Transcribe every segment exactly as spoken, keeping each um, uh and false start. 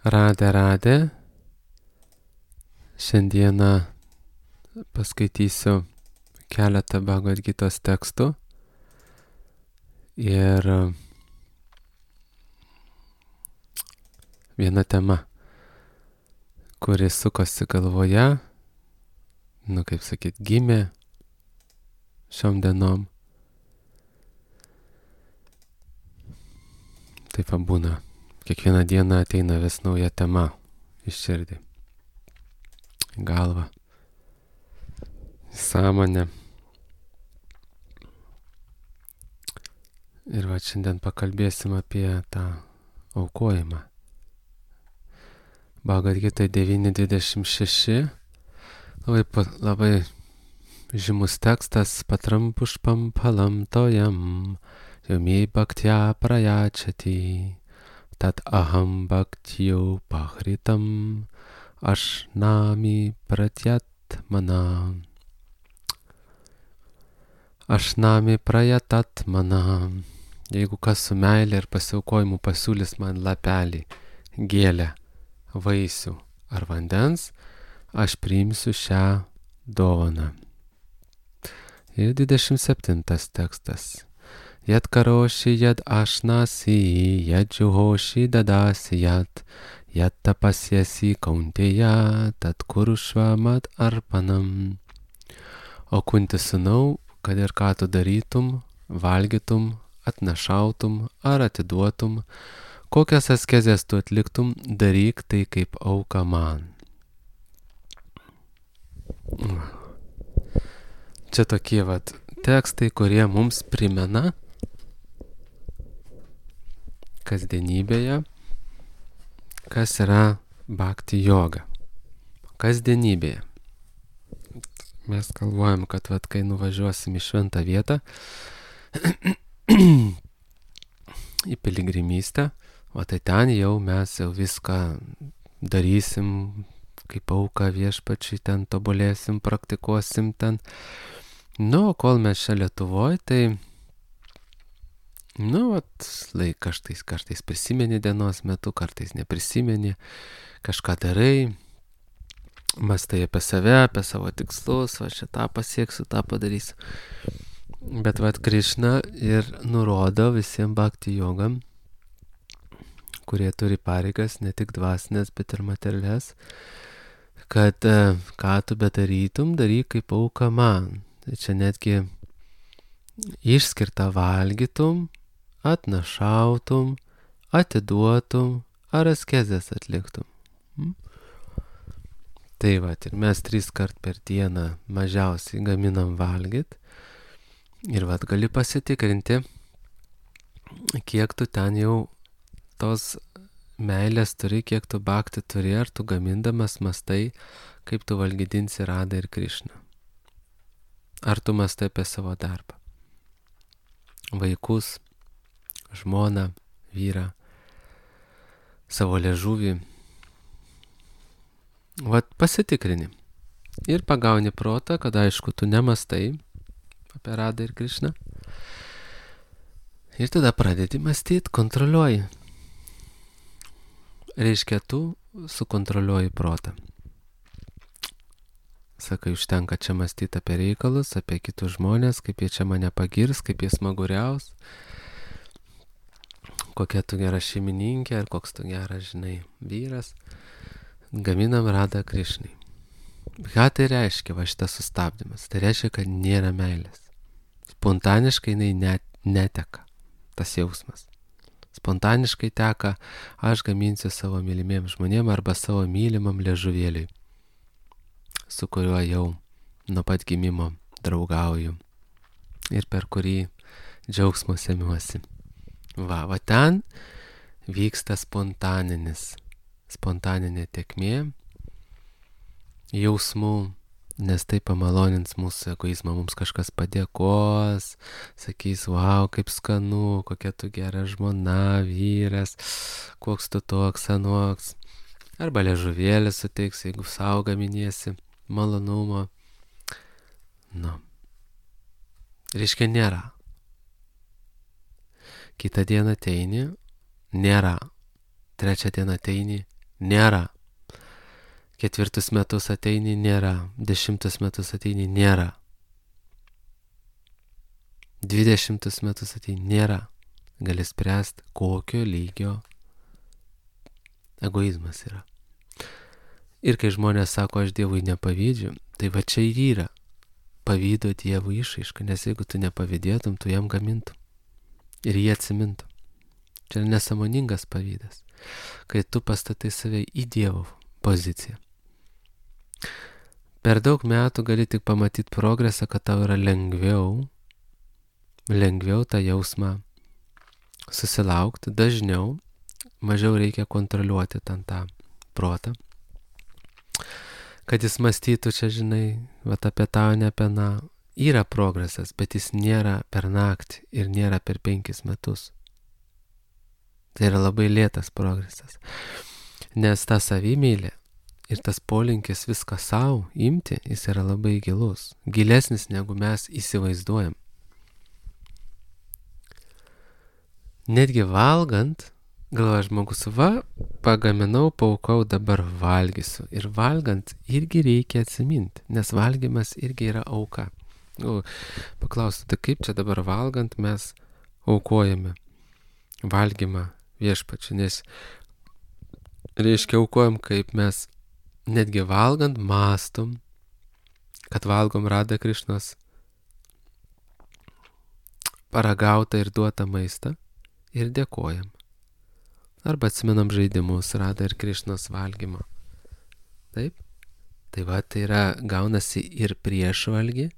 Radę, radę. Šiandieną paskaitysiu keletą Bhagavad Gitos tekstų ir viena tema, kuri sukosi galvoje, nu kaip sakyt, gimė šiom dienom. Taip būna. Kiekvieną dieną ateina vis nauja tema į širdį, į galvą, į sąmonę. Ir va šiandien pakalbėsim apie tą aukojimą. Bhagavad Gita devyni dvidešimt šeši, labai, labai žymus tekstas, patram pušpam palam tojam, yomi bhaktya prayachati, tat aham bhaktyu pahritam, ashnami pratyat mana. Ashnami prayatat mana. Jeigu kas su meilė ir pasiaukojimu pasiūlys man lapelį, gėlę, vaisių ar vandens, aš priimsiu šią dovaną. Ir dvidešimt septintas tekstas. Yat karoshi yat ashnasi, yat juhoshi dadasi yat, yat tapasyasi kaunteya, tat kurushva mat arpanam. O Kunti sūnau, kad ir ką tu darytum, valgytum, atnašautum ar atiduotum, kokias askezes tu atliktum, daryk tai kaip auka man. Čia tokie vat tekstai, kurie mums primena kasdienybėje, kas yra bhakti joga. Kasdienybėje. Mes galvojam, kad vat, kai nuvažiuosim į šventą vietą, į piligrimystę, o tai ten jau mes jau viską darysim, kaip auką viešpačiui, ten tobulėsim, praktikuosim ten. Nu, kol mes čia Lietuvoj, tai, nu, vat, laik kartais, kartais prisimeni dienos metu, kartais neprisimeni, kažką darai, mąstai apie save, apie savo tikslus, va šitą pasieksiu, tą padarysiu. Bet vat Krišna ir nurodo visiems bhakti jogam, kurie turi pareigas, ne tik dvasinės, bet ir materialias, kad ką tu bedarytum, daryk kaip auka man. Tai čia netgi išskirta valgytum, atnašautum, atiduotum ar askezes atliktum. Hmm? Tai va, ir mes tris kart per dieną mažiausiai gaminam valgyt. Ir va, gali pasitikrinti, kiek tu ten jau tos meilės turi, kiek tu bhakti turi, ar tu gamindamas mastai, kaip tu valgydinsi Radą ir Krišną. Ar tu mastai apie savo darbą, vaikus, žmoną, vyrą, savo liežuvį. Vat pasitikrini ir pagauni protą, kad aišku, tu nemastai apie Radą ir Krišną. Ir tada pradedi mąstyti, kontroliuoji. Reiškia, tu sukontroliuoji protą. Sakai, užtenka čia mąstyti apie reikalus, apie kitus žmonės, kaip jie čia mane pagirs, kaip jie smaguriaus, kokia tu gera šeimininkė ar koks tu geras, žinai, vyras. Gaminam Radą Krišnai. Ką tai reiškia, va šitas sustabdymas? Tai reiškia, kad nėra meilės. Spontaniškai jinai net, neteka, tas jausmas. Spontaniškai teka, aš gaminsiu savo mylimiem žmonėm arba savo mylimam liežuvėliui, su kuriuo jau nuo pat gimimo draugauju ir per kurį džiaugsmo semiuosi. Va, va ten vyksta spontaninis, spontaninė tėkmė jausmų, nes tai pamalonins mūsų egoizmą, mums kažkas padėkos, sakys, wow, kaip skanu, kokia tu gera žmona, vyras, koks tu toks, anoks. Arba liežuvėlį suteiks, jeigu sau gaminiesi malonumo. Nu. Reiškia, nėra. Kitą dieną ateini, nėra. Trečią dieną ateini, nėra. Ketvirtus metus ateini, nėra. Dešimtus metus ateini, nėra. Dvidešimtus metus ateini, nėra. Gali spręsti, kokio lygio egoizmas yra. Ir kai žmonės sako, aš Dievui nepavydžiu, tai va čia ir yra pavydo Dievui išraiška, nes jeigu tu nepavydėtum, tu jam gamintum ir jie atsimintum. Čia yra nesąmoningas pavydas, kai tu pastatai save į Dievo poziciją. Per daug metų gali tik pamatyti progresą, kad tau yra lengviau, lengviau tą jausmą susilaukti, dažniau, mažiau reikia kontroliuoti ten tą protą, kad jis mąstytų čia, žinai, vat apie tą, ne apie na, yra progresas, bet jis nėra per naktį ir nėra per penkis metus. Tai yra labai lėtas progresas, nes ta savimylė ir tas polinkis viską savo imti, jis yra labai gilus, gilesnis negu mes įsivaizduojam. Netgi valgant, galvoja žmogus, va, pagaminau, paukau, dabar valgysiu. Ir valgant irgi reikia atsiminti, nes valgymas irgi yra auka. Nu, paklausiu, tai kaip čia dabar valgant mes aukojame valgymą viešpačiu, nes reiškia aukojam, kaip mes netgi valgant mąstom, kad valgom Radha Krišnos paragautą ir duotą maistą ir dėkojam. Arba atsimenam žaidimus Radha ir Krišnos valgymo. Taip? Tai va, tai yra, gaunasi ir prieš valgį,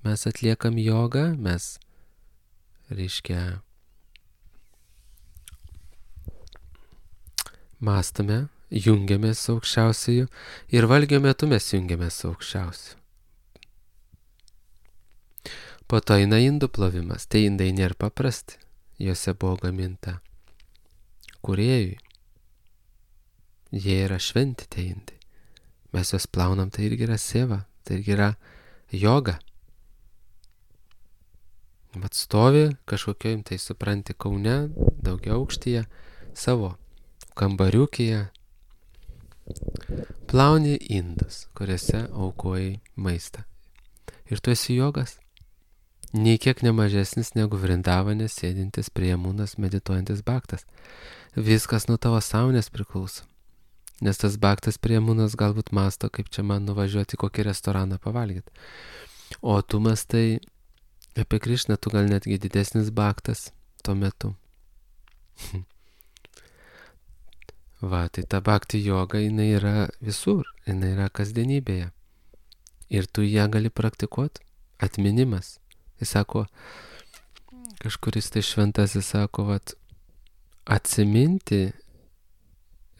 mes atliekam jogą, mes, reiškia, mąstame, jungiamės su aukščiausiuoju ir valgio metu mes jungiamės su aukščiausiu. Po to eina indų plovimas. Tai indai nėra paprasti, juose buvo gaminta kūrėjui. Jie yra šventi tie indai. Mes juos plaunam, tai irgi yra seva, tai irgi yra joga. Vat stovi kažkokiojim, tai supranti, Kaune, daugiau aukštyje, savo kambariukėje, plauni indus, kuriuose aukojai maistą. Ir tu esi jogas, nei kiek nemažesnis negu Vrindavane sėdintis prie Jamunos medituojantis bhaktas. Viskas nuo tavo sąmonės priklauso. Nes tas bhaktas prie Jamunos galbūt mąsto, kaip čia man nuvažiuoti į kokį restoraną pavalgyti. O tu mąstai apie Krišną, tu gal netgi didesnis bhaktas tuo metu. Va, tai ta bhakti joga, jinai yra visur, jinai yra kasdienybėje. Ir tu ją gali praktikuoti. Atminimas. Jis sako, kažkuris tai šventasis sako, vat, atsiminti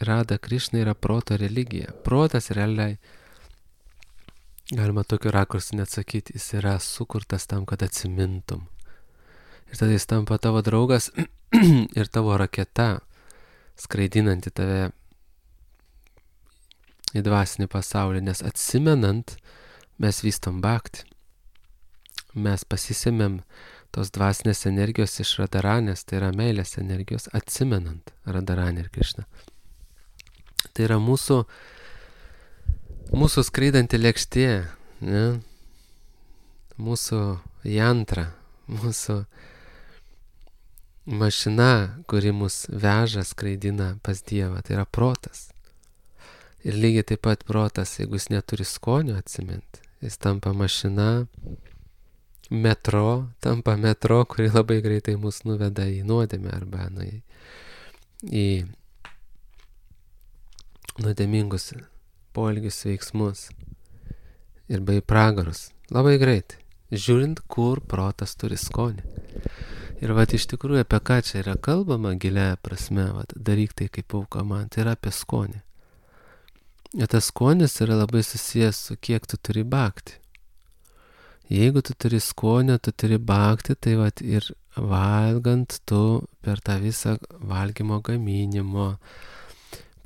Radha Krišna yra proto religija. Protas realiai, galima tokiu rakursu net sakyti, jis yra sukurtas tam, kad atsimintum. Ir tada jis tampa tavo draugas ir tavo raketa, skraidinanti tave į dvasinį pasaulį, nes atsimenant mes vystom bhakti. Mes pasisėmėm tos dvasinės energijos iš Radharanės, tai yra meilės energijos, atsimenant Radharanę ir Krišną. Tai yra mūsų, mūsų skraidanti lėkštė, ne? Mūsų jantra, mūsų mašina, kuri mus veža, skraidina pas Dievą, tai yra protas. Ir lygiai taip pat protas, jeigu jis neturi skonio atsiminti, jis tampa mašina, metro, tampa metro, kuri labai greitai mus nuveda į nuodėmę arba nu, į, į nuodėmingus poelgius, veiksmus ir bei pragarus. Labai greitai, žiūrint, kur protas turi skonį. Ir vat iš tikrųjų apie ką čia yra kalbama gilia prasme, vat, daryk tai kaip auka man, tai yra apie skonį. Ir tas skonis yra labai susijęs su kiek tu turi bhakti. Jeigu tu turi skonio, tu turi bhakti, tai vat ir valgant tu per tą visą valgymo gaminimo,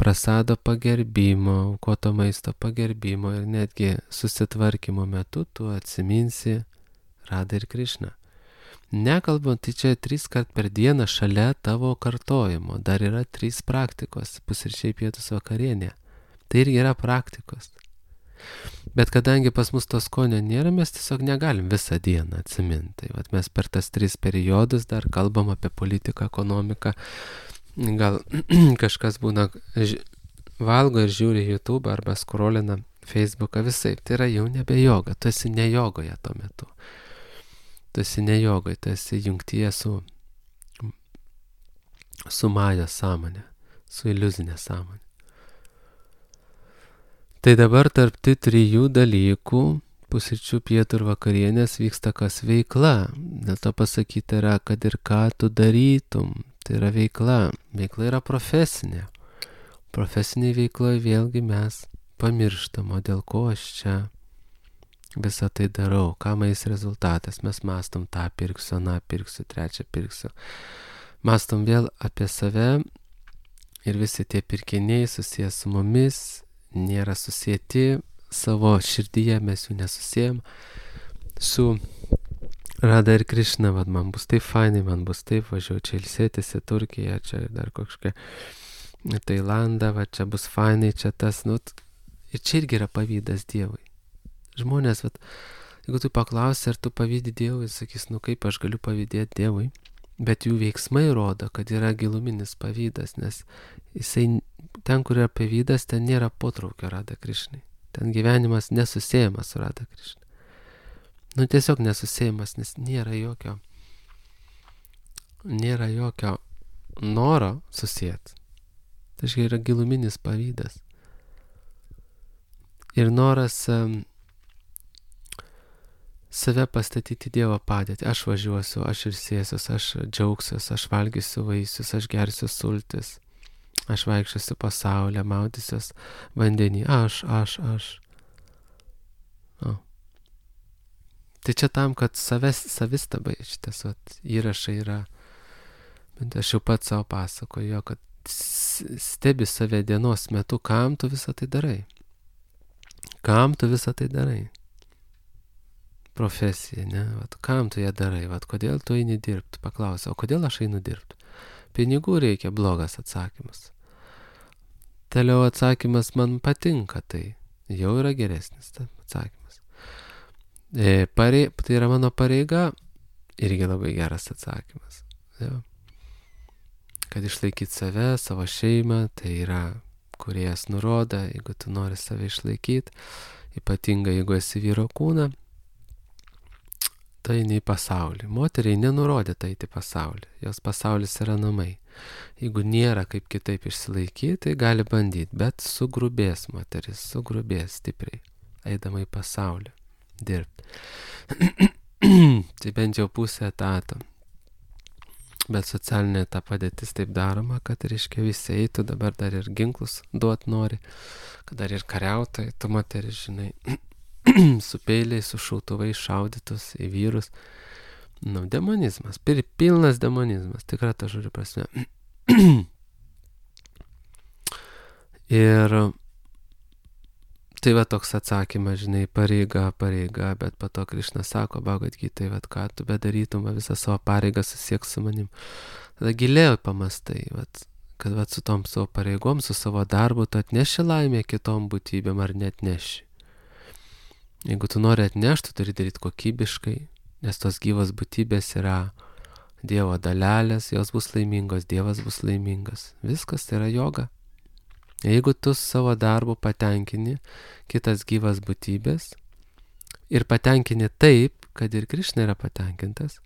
prasado pagerbimo, aukoto maisto pagerbimo ir netgi susitvarkymo metu tu atsiminsi Radha ir Krišną. Nekalbant, tai čia trys kart per dieną šalia tavo kartojimo. Dar yra trys praktikos. Pusryčiai, pietus, vakarienė. Tai irgi yra praktikos. Bet kadangi pas mus to skonio nėra, mes tiesiog negalim visą dieną atsiminti. Tai vat mes per tas tris periodus dar kalbam apie politiką, ekonomiką. Gal kažkas būna valgo ir žiūri YouTube arba skrolina Facebooką visai. Tai yra jau nebe joga. Tu esi ne jogoje tuo metu. Tu esi ne jogoje, tu esi jungtyje su, su maja sąmonė, su iliuzinė sąmonė. Tai dabar tarp tų trijų dalykų, pusryčių, pietų ir vakarienės, vyksta kas veikla. Dėl to pasakyti yra, kad ir ką tu darytum, tai yra veikla. Veikla yra profesinė. Profesiniai veikloje vėlgi mes pamirštam, o dėl ko aš čia visą tai darau, ką mais rezultatas. Mes mastom tą pirksiu, aną pirksiu, trečią pirksiu. Mastom vėl apie save ir visi tie pirkiniai susijęs su mumis, nėra susijęti savo širdyje, mes jų nesusijęm su Rada ir Krišna, vad man bus taip fainai, man bus taip, važiuoju čia ilsėtis į Turkiją, čia dar kažkokia Tailandą, va čia bus fainai, čia tas, nu, ir čia irgi yra pavydas Dievui. Žmonės, vat, jeigu tu paklausi, ar tu pavydi Dievui, sakys, nu kaip aš galiu pavydėti Dievui, bet jų veiksmai rodo, kad yra giluminis pavydas, nes jisai, ten, kur yra pavydas, ten nėra potraukio Rada Krišnai. Ten gyvenimas nesusėjamas su Rada Krišna. Nu tiesiog nesusėjamas, nes nėra jokio, nėra jokio noro susėti. Tai yra giluminis pavydas. Ir noras um, save pastatyti Dievo padėtį. Aš važiuosiu, aš ilsėsiuos, aš džiaugsiuos, aš valgysiu vaisius, aš gersiu sultis, aš vaikščiosiu pasaulyje, maudysiuos vandenį. Aš, aš, aš. O. Tai čia tam, kad savęs, savistabai šitas vat, įrašai yra, bet aš jau pats savo pasakoju, kad stebi save dienos metu, kam tu visą tai darai. Kam tu visą tai darai? Profesija, ne? Vat, kam tu ją darai? Vat, kodėl tu eini dirbti? Paklausia, o kodėl aš einu dirbti? Pinigų reikia, blogas atsakymas. Toliau atsakymas, man patinka tai. Jau yra geresnis atsakymas. E, parei, tai yra mano pareiga, irgi labai geras atsakymas. Jau. Kad išlaikyti save, savo šeimą, tai yra Kūrėjas nurodo, jeigu tu nori save išlaikyti, ypatingai jeigu esi vyro kūną, tai eini į pasaulį. Moteriai nenurodė tai į pasaulį, jos pasaulis yra namai. Jeigu nėra kaip kitaip išsilaikyti, tai gali bandyti, bet sugrubės moteris, sugrubės stipriai, eidama į pasaulį, dirbti. Tai bent jau pusę etato. Bet socialinė ta padėtis taip daroma, kad reiškia visi eitų, dabar dar ir ginklus duot nori, kad dar ir kariautai, tu moteris, žinai, su peiliais, su šautuvais šaudytus į vyrus. Nu, demonizmas, pilnas demonizmas, tikra ta žodžio prasme. Ir tai va toks atsakymas, žinai, pareiga, pareiga, bet po to Krišna sako, Bhagavad Gitai, vat ką tu bedarytum, visą savo pareigą susiek su manim. Tada giliau pamastai, vat, kad vat su tom savo pareigom, su savo darbu, tu atneši laimę kitom būtybėm ar net neši. Jeigu tu nori atnešti, tu turi daryti kokybiškai, nes tos gyvos būtybės yra Dievo dalelės, jos bus laimingos, Dievas bus laimingas. Viskas tai yra joga. Jeigu tu savo darbu patenkini kitas gyvas būtybės ir patenkini taip, kad ir Krišna yra patenkintas,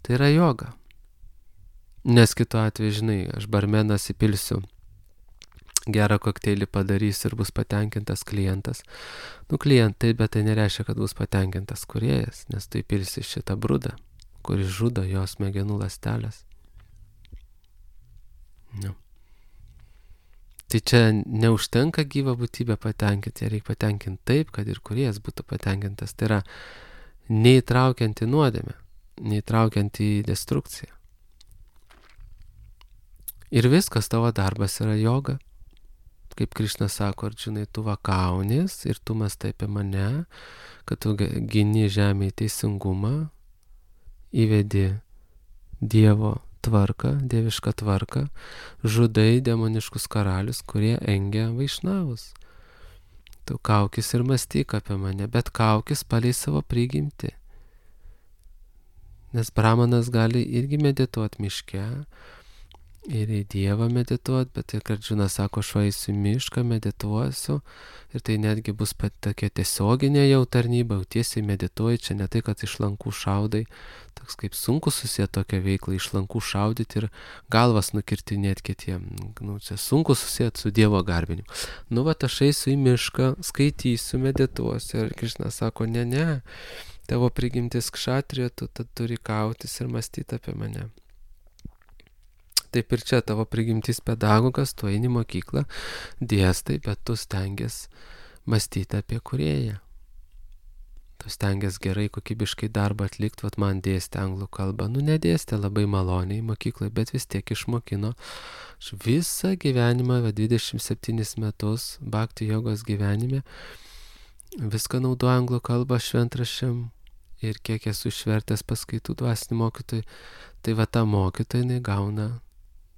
tai yra joga. Nes kitu atveju, žinai, aš barmenas įpilsiu, gerą kokteilį padarys ir bus patenkintas klientas. Nu, klientai, bet tai nereiškia, kad bus patenkintas kūrėjas, nes tu įpilsi šitą brudą, kuris žudo jos smegenų ląstelės. Nu. Tai čia neužtenka gyvą būtybę patenkinti, reikia patenkinti taip, kad ir kūrėjas būtų patenkintas. Tai yra neįtraukiant į nuodėmę, neįtraukiant į destrukciją. Ir viskas, tavo darbas yra joga. Kaip Krišna sako, Arjunai, tu vakaunis ir tu mąstai apie mane, kad tu gini žemėje teisingumą įvedi Dievo tvarką, dievišką tvarką, žudai demoniškus karalius, kurie engia vaišnavus. Tu kaukis ir mąstyk apie mane, bet kaukis palei savo prigimtį. Nes brahmanas gali irgi medituoti miške ir į Dievą medituoti, bet ir Arjuna sako, aš eisiu į mišką, medituosiu ir tai netgi bus pat tokia tiesioginė jau tarnyba, jau tiesiai medituoji, čia ne tai, kad iš lankų šaudai, toks kaip sunku susijęti tokią veiklą, iš lankų šaudyti ir galvas nukirtinėti kitiem, nu, čia sunku susijęti su Dievo garbinimu. Nu, va, aš eisiu į mišką, skaitysiu, medituosiu ir Krišna sako, ne, ne, tavo prigimtis kšatrija, tu tad turi kautis ir mąstyti apie mane. Taip ir čia tavo prigimtis pedagogas, tu eini mokyklą, dėstai, bet tu stengiasi mąstyti apie kūrėją. Tu stengiasi gerai, kokybiškai darbą atlikti, vat man dėstė anglų kalbą. Nu, nedėstė labai maloniai mokyklai, bet vis tiek išmokino. Aš visą gyvenimą, va, dvidešimt septynis metus, bhakti jogos gyvenime, viską naudoju anglų kalbą šventraščiam ir kiek esu išvertęs paskaitų dvasinį mokytojai, tai va ta mokytoja, jinai gauna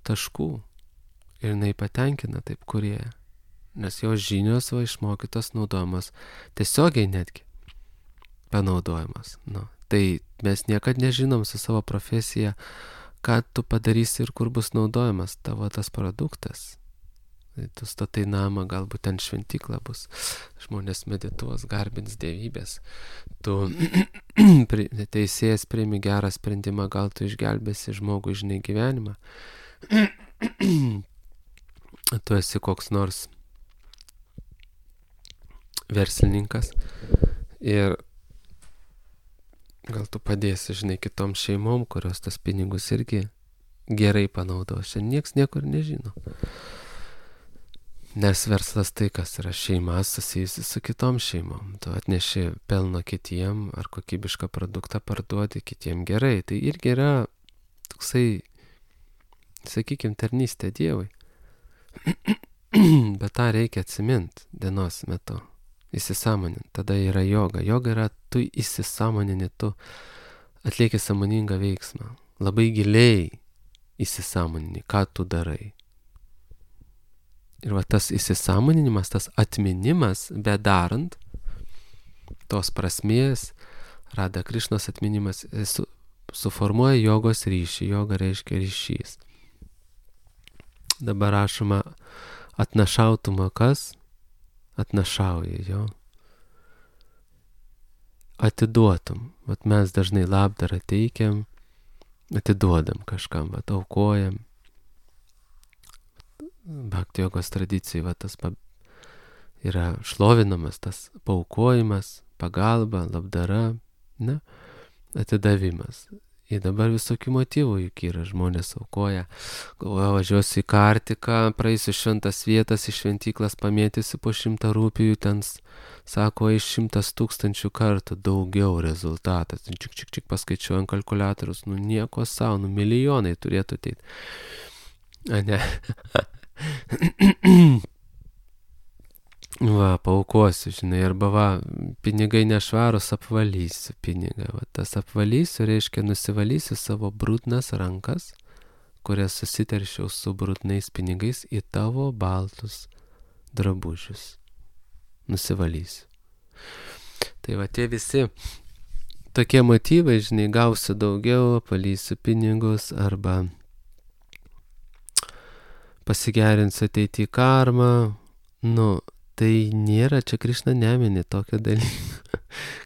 taškų ir jinai patenkina taip kūrėją, nes jos žinios va išmokytos naudojamos tiesiogiai netgi panaudojamas. Nu, tai mes niekad nežinom su savo profesija, ką tu padarysi ir kur bus naudojamas tavo tas produktas. Tai tu statai namą, galbūt ten šventykla bus, žmonės medituos, garbins dievybės, tu teisėjas priimi gerą sprendimą, gal tu išgelbėsi žmogų, žinai, gyvenimą. Tu esi koks nors verslininkas ir gal tu padėsi, žinai, kitom šeimom, kurios tas pinigus irgi gerai panaudos. Šiandien nieks niekur nežino. Nes verslas tai, kas yra šeima susijusi su kitom šeimom. Tu atneši pelno kitiem ar kokybišką produktą parduodi kitiem gerai. Tai irgi yra toksai, sakykime, tarnystė Dievui. Bet tą reikia atsiminti dienos metu, įsisąmoninti. Tada yra joga. Joga yra tu įsisąmonini, tu atlieki sąmoningą veiksmą. Labai giliai įsisąmonini, ką tu darai. Ir va tas įsisąmoninimas, tas atminimas, bedarant tos prasmės, Rada Krišnos atminimas, su, suformuoja jogos ryšį. Joga reiškia ryšys. Dabar rašoma, atnašautumą kas? Atnašauja, jo. Atiduotum. Vat mes dažnai labdarą teikiam, atiduodam kažkam, vat aukojam. Bhakti jogos tradicijai va, tas pa, yra šlovinamas, tas paukojimas, pagalba, labdara, ne, atidavimas. Ir dabar visokių motyvų juk yra, žmonės aukoja, galvoja, važiuosiu į Kartiką, praeisiu šventas vietas, iš šventyklas pamėtysiu po šimtą rūpijų, ten sako, iš šimtas tūkstančių kartų daugiau rezultatas. Čik, čik, čik paskaičiuojant kalkuliatorius, nu nieko savo, nu milijonai turėtų ateiti. A ne. Va, paukosiu, žinai, arba va, pinigai nešvarus, apvalysiu pinigą. Va, tas apvalysiu reiškia nusivalysiu savo brudnas rankas, kurias susiteršiau su brudnais pinigais į tavo baltus drabužius. Nusivalysiu. Tai va, tie visi tokie motyvai, žinai, gausiu daugiau, apvalysiu pinigus arba pasigerinsiu ateitį karmą, nu, tai nėra, čia Krišna nemini tokio dalyko.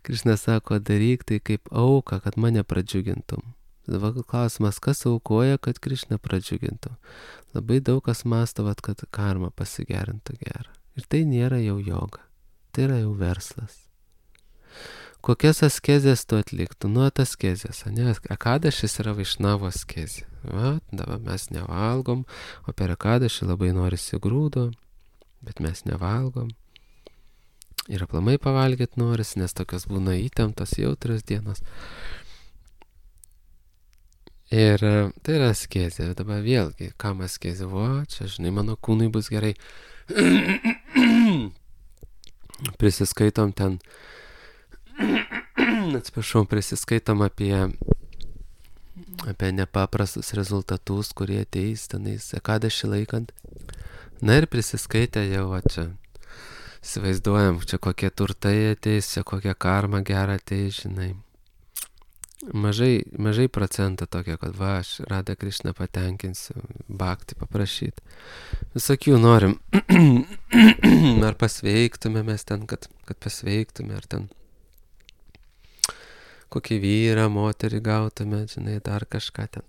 Krišna sako, daryk tai kaip auka, kad mane pradžiugintum. Dabar klausimas, kas aukoja, kad Krišna pradžiugintum. Labai daug kas mąsto, kad karma pasigerintų gerą. Ir tai nėra jau joga, tai yra jau verslas. Kokias askezės tu atliktų? Nu, askezės, ne? Akadašis yra vaišnavo askezė. Va, dabar mes nevalgom, o per akadašį labai norisi grūdo, bet mes nevalgom. Ir aplamai pavalgyti norisi, nes tokios būna įtemptos, jautrios dienos. Ir tai yra askezė. Dabar vėlgi, kam askezė? Vo, čia, žinai, mano kūnui bus gerai. Prisiskaitom ten, atsiprašau, prisiskaitom apie apie nepaprastus rezultatus, kurie ateis tenais ekadašį laikant. Na ir prisiskaitę jau va čia, įsivaizduojam, čia kokie turtai ateis, čia kokia karma gera ateis, žinai. Mažai, mažai procentą tokio, kad va, aš Radha Krišną patenkinsiu, bhakti paprašyti. Visokių norim. Ar pasveiktume mes ten, kad, kad pasveiktume, ar ten kokį vyrą, moterį gautume, žinai, dar kažką ten.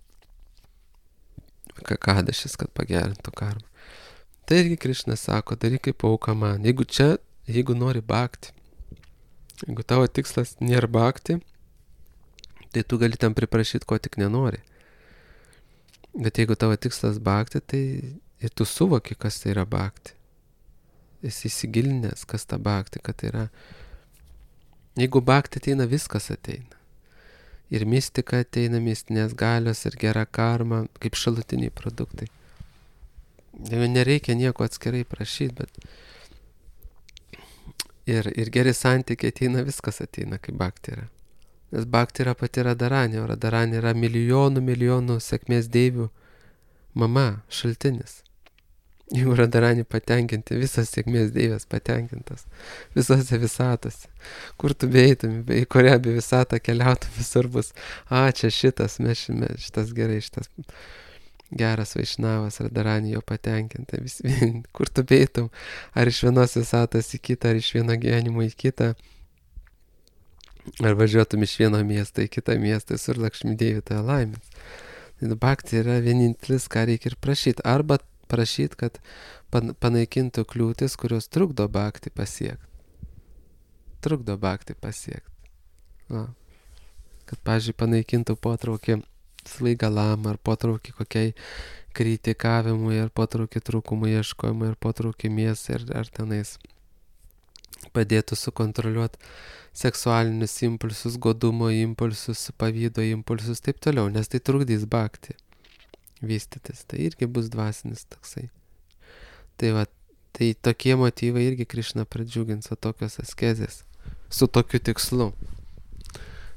Kakadašis, kad pagerintų karmą. Tai irgi Krišna sako, daryk kaip auka man. Jeigu čia, jeigu nori bhakti, jeigu tavo tikslas nėra bhakti, tai tu gali tam priprašyti, ko tik nenori. Bet jeigu tavo tikslas bhakti, tai ir tu suvoki, kas tai yra bhakti. Esi įsigilinęs, kas ta bhakti, kad tai yra. Jeigu bhakti ateina, viskas ateina. Ir mistika ateina, mistinės galios ir gera karma, kaip šalutiniai produktai. Jau nereikia nieko atskirai prašyti, bet ir, ir geri santykiai ateina, viskas ateina, kaip bhakti yra. Nes bhakti yra pati Radharani, o Radharani yra milijonų, milijonų sėkmės deivių mama, šaltinis. Jeigu Radharani patenkinti, visas sėkmės deivės patenkintas, visose visatose. Kur tu beeitum, į kurią be visatą keliautum, visur bus, a, čia šitas, mes šime, šitas gerai, šitas geras Vaišnavas, Radharani jo patenkinta. Vis, kur tu beeitum, ar iš vienos visatos į kitą, ar iš vieno gyvenimo į kitą, ar važiuotum iš vieno miesto į kitą miestą, visur Lakšmi Deivi tave laimės. Bhakti yra vienintelis, ką reikia ir prašyti. Arba prašyti, kad panaikintų kliūtis, kurios trukdo bhakti pasiekti. Trukdo bhakti pasiekti. Va. Kad, pavyzdžiui, panaikintų potraukį svaigalam, ar potraukį kokiai kritikavimui, ar potraukį trūkumui ieškojimui, ar potraukį mėsai, ar, ar tenais padėtų sukontroliuoti seksualinius impulsus, godumo impulsus, pavydo impulsus, taip toliau, nes tai trukdys bhakti vystytis, tai irgi bus dvasinis toksai. Tai va, tai tokie motyvai irgi Krišna pradžiugins, o tokios askezės, su tokiu tikslu.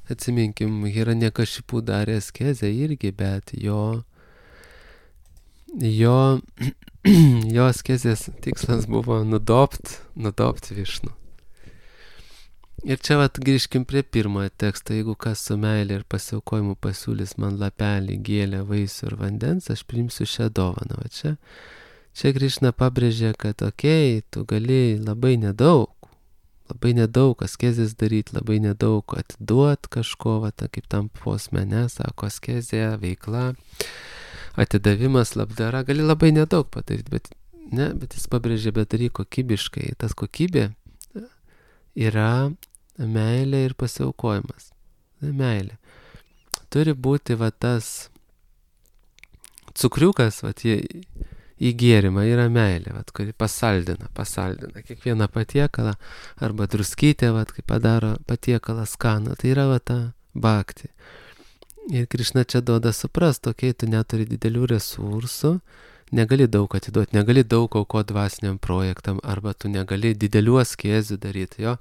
Atsiminkim, Hiranyakashipu darė askezę irgi, bet jo, jo, jo askezės tikslas buvo nudopt, nudopt Višnu. Ir čia vat grįžkim prie pirmojo teksto, jeigu kas su meilė ir pasiaukojimu pasiūlys man lapelį, gėlę, vaisių ir vandens, aš priimsiu šią dovaną. O čia, čia Krišna pabrėžė, kad okei, okay, tu gali labai nedaug, labai nedaug askezės daryti, labai nedaug atiduot kažko, va, ta, kaip tam posmene, sako, askezė, veikla, atidavimas, labdara, gali labai nedaug padaryti, bet, ne, bet jis pabrėžė, bet daryk kokybiškai. Tas kokybė yra meilė ir pasiaukojimas. Meilė. Turi būti va tas cukriukas, va, į, į gėrimą yra meilė, va, kuri pasaldina, pasaldina kiekvieną patiekalą, arba druskytę, va, kai padaro patiekalą skanų. Tai yra va ta bhakti. Ir Krišna čia duoda suprast, okei, tu neturi didelių resursų, negali daug atiduoti, negali daug auko dvasiniam projektam, arba tu negali didelių askezių daryti, jo.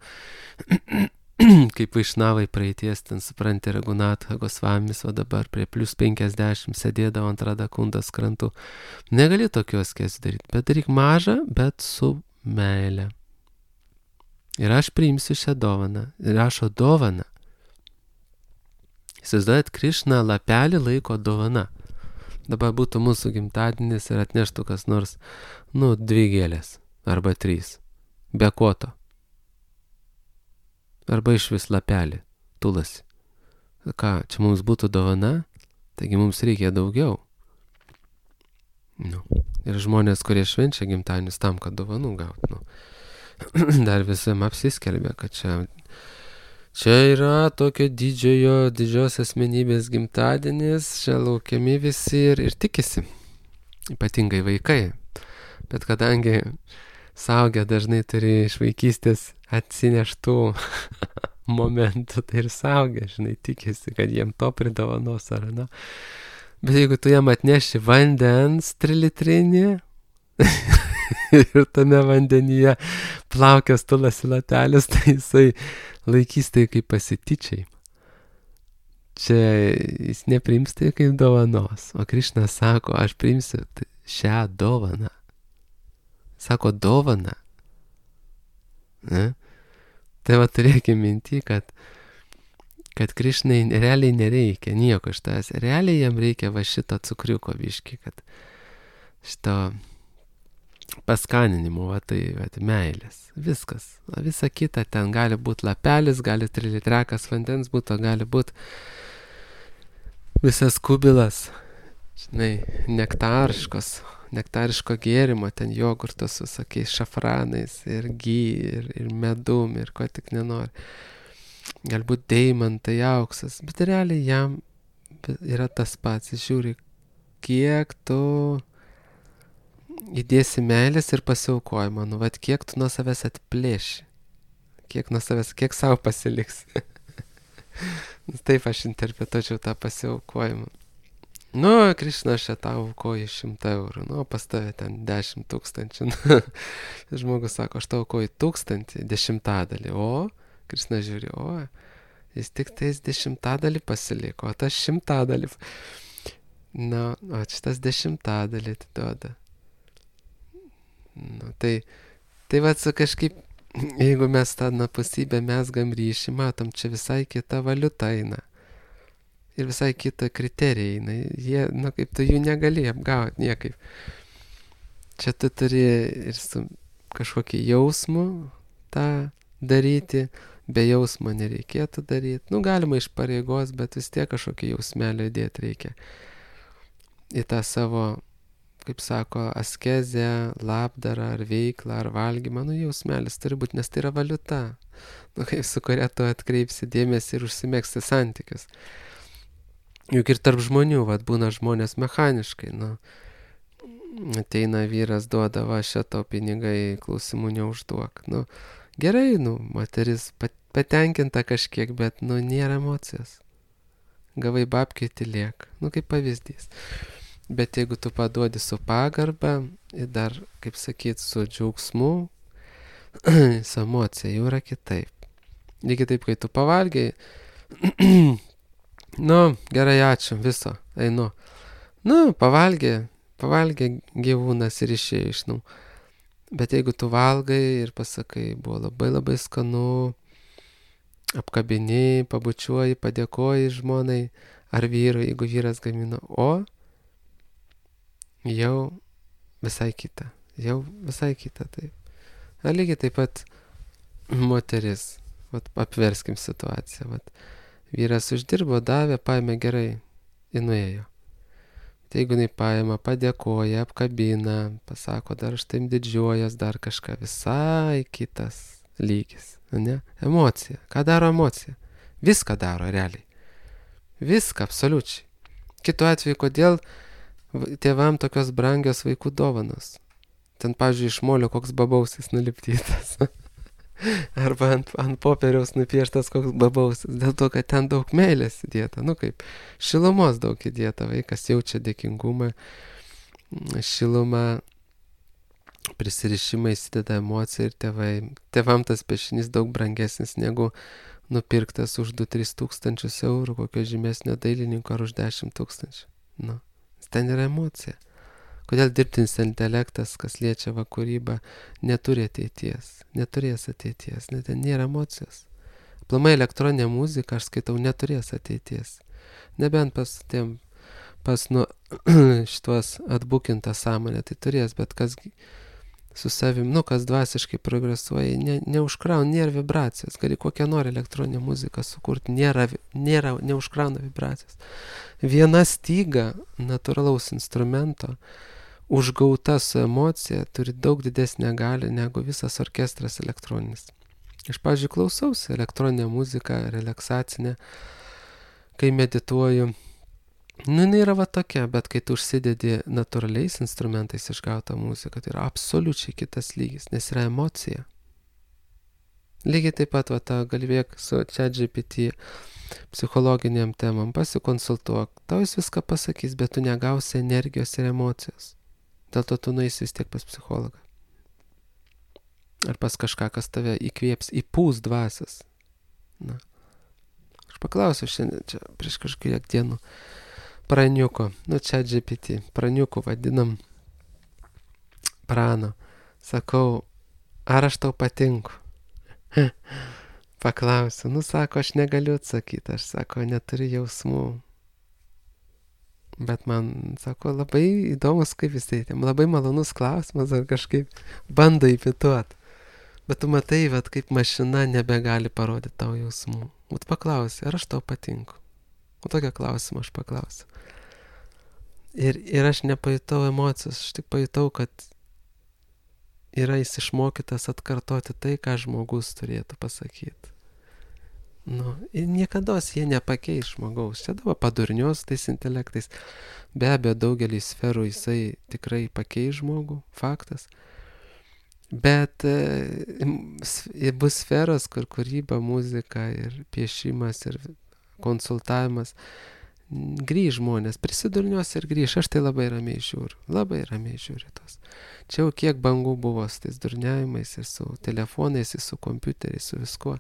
Kaip Vaišnavai praeities, ten supranti, Raghunatha Gosvamis, o dabar prie plius penkiasdešimt sėdėdavo ant Radhakundos krantų. Negali tokių askezių daryti, bet daryk mažą, bet su meile. Ir aš priimsiu šią dovaną. Ir rašo dovaną. Įsivaizduojat, Krišna lapelį laiko dovana. Dabar būtų mūsų gimtadienis ir atneštų kas nors, nu, dvi gėlės, arba trys, be koto. Arba iš vis lapelį, tulasi. Ką, čia mums būtų dovana, taigi mums reikia daugiau. Nu, ir žmonės, kurie švenčia gimtadienius tam, kad dovanų gaut, nu, dar visam apsiskelbė, kad čia, čia yra tokio didžiojo, didžios asmenybės gimtadienis, čia laukiami visi ir, ir tikisi, ypatingai vaikai. Bet kadangi suaugę dažnai turi iš vaikystės atsineštų momentų, tai ir suaugę, žinai, tikisi, kad jiem to pridovanos ar, na. Bet jeigu tu jam atneši vandens trilitrinį ir tame vandenyje plaukęs tulasi latelis, tai jisai laikys tai kaip pasityčiai. čia jis nepriims tai kaip dovanos. O Krišna sako, aš priimsiu šią dovaną. Sako dovaną. Ne? Tai va turėkime minti, kad, kad Krišnai realiai nereikia nieko iš tavęs. Realiai jam reikia va šito cukriuko biški, kad šito paskaninimo, va tai va, meilės. Viskas. O visa kita ten gali būti lapelis, gali trilitrekas vandens būtų, gali būti visas kubilas, žinai, nektariškos, nektariško gėrimo, ten jogurtos su visokiais šafranais ir gy, ir, ir medum, ir ko tik nenori. Galbūt deimantai, auksas, bet realiai jam yra tas pats. Jis žiūri, kiek tu įdėsi meilės ir pasiaukojimo, nu, vat kiek tu nuo savęs atplėši, kiek nuo savęs, kiek savo pasiliks. Taip aš interpretuočiau tą pasiaukojimą. Nu, Krišna, aš čia tau aukoju šimtą eurų, nu, pas tave ten dešimt tūkstančių. Žmogus sako, aš tau aukoju tūkstantį, dešimtadalį, o Krišna žiūri, o jis tik tais dešimtadalį pasiliko, o tas šimtadalį. Na, o šitas dešimtadalį atiduoda. Nu, tai, tai va, kažkaip, jeigu mes tą napusybę mesgam ryšį, matom, čia visai kita valiuta eina. Ir visai kita kriterija eina. Jie, nu, kaip tu jų negali apgauti niekaip. Čia tu turi ir su kažkokį jausmu tą daryti, be jausmo nereikėtų daryti. Nu, galima iš pareigos, bet vis tiek kažkokį jausmelį įdėti reikia. Į tą savo, kaip sako, askezę, labdarą, ar veiklą, ar valgymą, nu jausmelis turi būti, nes tai yra valiuta, nu, kaip su kuria tu atkreipsi dėmesį ir užsimegsi santykius. Juk ir tarp žmonių, vat, būna žmonės mechaniškai, nu, ateina vyras, duoda, va, šito pinigai, klausimų neužduok, nu, gerai, nu, moteris patenkinta kažkiek, bet, nu, nėra emocijos. Gavai babkiai tylėk, nu, kaip pavyzdys. Bet jeigu tu paduodi su pagarba ir dar, kaip sakyt, su džiaugsmu, su emocija jau yra kitaip. Lygiai taip, kai tu pavalgiai, nu, gerai, ačiū, viso, einu. Nu, pavalgė, pavalgė gyvūnas ir išėjo iš namų. Bet jeigu tu valgai ir pasakai, buvo labai labai skanu, apkabini, pabučiuoji, padėkoji žmonai ar vyrui, jeigu vyras gamino, o jau visai kita, jau visai kita, taip. Ar lygiai taip pat moteris, vat, apverskim situaciją, vat, vyras uždirbo, davė, paėmė gerai, ir nuėjo. Tai jeigu jinai paėmė, padėkoja, apkabina, pasako, dar aš taip didžiuojas, dar kažką, visai kitas lygis, ne? Emocija. Ką daro emocija? Viską daro realiai. Viską, absoliučiai. Kitu atveju, kodėl tėvam tokios brangios vaikų dovanos? Ten, pavyzdžiui, iš molio koks babausis nulipdytas. Arba ant, ant popieriaus nupieštas koks babausis. Dėl to, kad ten daug meilės įdėta. Nu kaip, šilumos daug įdėta. Vaikas jaučia dėkingumą, šilumą, prisirišimą, įsideda emociją ir tėvai. Tėvam tas piešinys daug brangesnis negu nupirktas už du tris tūkstančius eurų kokio žymesnio dailininko ar už dešimt tūkstančių. Nu. Ten yra emocija. Kodėl dirbtinis intelektas, kas liečia va kūrybą, neturi ateities, neturės ateities, net ten nėra emocijos. Aplamai elektroninė muzika, aš skaitau, neturės ateities. Nebent pas tiem, pas nu šitos atbukintą sąmonę, tai turės, bet kas su savim, nu kas dvasiškai progresuoja, ne, neužkrauna, nėra vibracijos. Gali kokią nori elektroninę muziką sukurti, nėra, nėra, neužkrauna vibracijos. Viena styga natūralaus instrumento užgauta su emocija turi daug didesnę galią negu visas orkestras elektroninis. Aš, pavyzdžiui, klausausi elektroninę muziką, relaksacinę, kai medituoju. Nu, jinai yra va tokia, bet kai tu užsidedi natūraliais instrumentais išgautą muziką, tai yra absoliučiai kitas lygis, nes yra emocija. Lygiai taip pat, va, ta galvėk su ChatGPT psichologiniam temam, pasikonsultuok, tau jis viską pasakys, bet tu negausi energijos ir emocijos. Dėl to tu nueisi vis tiek pas psichologą. Ar pas kažką, kas tave įkvėps, įpūs dvasias. Na. Aš paklausiau šiandien čia prieš kažkiek dienų praniuko, nu čia G P T, praniuku vadinam prano. Sakau, ar aš tau patinku? Paklausiu, nu sako, aš negaliu atsakyti, aš sako, neturiu jausmų. Bet man, sako, labai įdomus, kaip jisai, labai malonus klausimas, ar kažkaip bando įpituot. Bet tu matai, vat, kaip mašina nebegali parodyti tau jausmų. Vat paklausi, ar aš tau patinku? O tokią klausimą aš paklausiu. Ir, ir aš nepajutau emocijos, aš tik pajutau, kad yra jis išmokytas atkartoti tai, ką žmogus turėtų pasakyti. Nu, ir niekados jie nepakeis žmogaus. Čia dabar padurnios tais intelektais. Be abejo, daugelį sferų jisai tikrai pakeis žmogų, faktas. Bet e, bus sferos, kur kūryba, muzika ir piešimas ir konsultavimas grįž žmonės, prisidurnios ir grįž. Aš tai labai ramiai žiūriu, labai ramiai žiūriu tos. Čia jau kiek bangų buvo su tais durniavimais ir su telefonais, ir su kompiuteriais, su viskuo.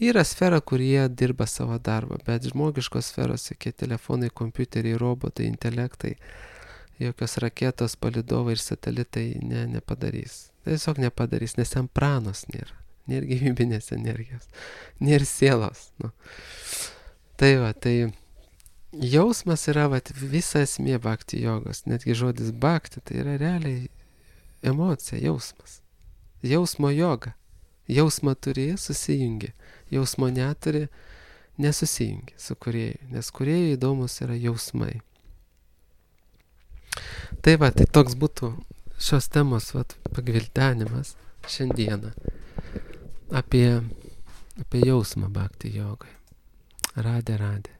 Yra sfera, kur jie dirba savo darbą, bet žmogiškos sferos, jokie telefonai, kompiuteriai, robotai, intelektai, jokios raketos, palidovai ir satelitai ne, nepadarys. Tiesiog nepadarys, nes ten pranos nėra, nėra gyvybinės energijos, nėra sielos. Nu. Tai va, tai jausmas yra va, visa esmė bhakti jogos, netgi žodis bhakti, tai yra realiai emocija, jausmas, jausmo joga. Jausmą turi, susijungi. Jausmo neturi, nesusijungi su kūrėju, nes kūrėjui įdomus yra jausmai. Tai va, tai toks būtų šios temos va, pagvildenimas šiandieną apie, apie jausmą bhakti jogai. Radė, radė.